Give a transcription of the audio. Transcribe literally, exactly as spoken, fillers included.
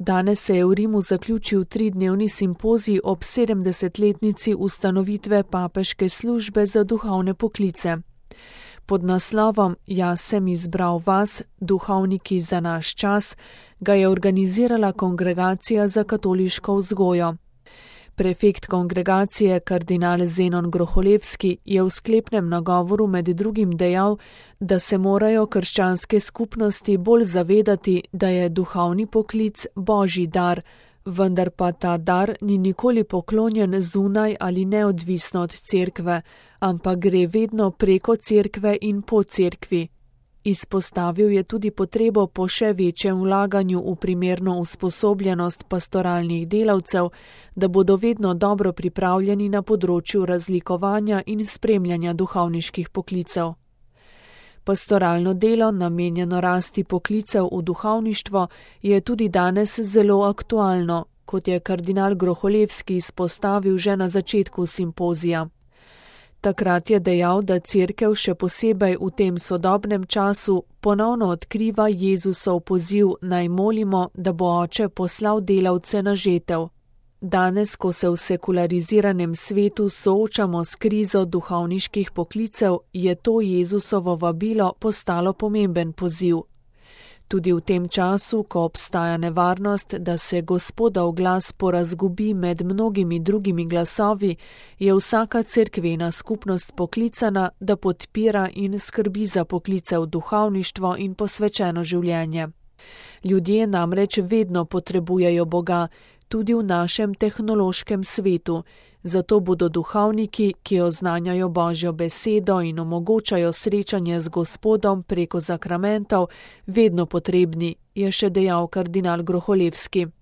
Danes se je v Rimu zaključil tridnevni simpozij ob sedemdesetletnici ustanovitve papeške službe za duhovne poklice. Pod naslovom Jaz sem izbral vas, duhovniki za naš čas, ga je organizirala Kongregacija za katoliško vzgojo. Prefekt kongregacije kardinal Zenon Groholevski je v sklepnem nagovoru med drugim dejal, da se morajo krščanske skupnosti bolj zavedati, da je duhovni poklic božji dar, vendar pa ta dar ni nikoli poklonjen zunaj ali neodvisno od cerkve, ampak gre vedno preko cerkve in po cerkvi. Izpostavil je tudi potrebo po še večjem vlaganju v primerno usposobljenost pastoralnih delavcev, da bodo vedno dobro pripravljeni na področju razlikovanja in spremljanja duhovniških poklicev. Pastoralno delo, namenjeno rasti poklicev v duhovništvo, je tudi danes zelo aktualno, kot je kardinal Groholevski izpostavil že na začetku simpozija. Takrat je dejal, da cerkev še posebej v tem sodobnem času ponovno odkriva Jezusov poziv naj molimo, da bo Oče poslal delavce na žetev. Danes, ko se v sekulariziranem svetu soočamo s krizo duhovniških poklicev, je to Jezusovo vabilo postalo pomemben poziv. Tudi v tem času, ko obstaja nevarnost, da se Gospodov glas porazgubi med mnogimi drugimi glasovi, je vsaka cerkvena skupnost poklicana, da podpira in skrbi za poklice v duhovništvo in posvečeno življenje. Ljudje namreč vedno potrebujejo Boga, tudi v našem tehnološkem svetu, zato bodo duhovniki, ki oznanjajo Božjo besedo in omogočajo srečanje z Gospodom preko zakramentov, vedno potrebni, je še dejal kardinal Groholevski.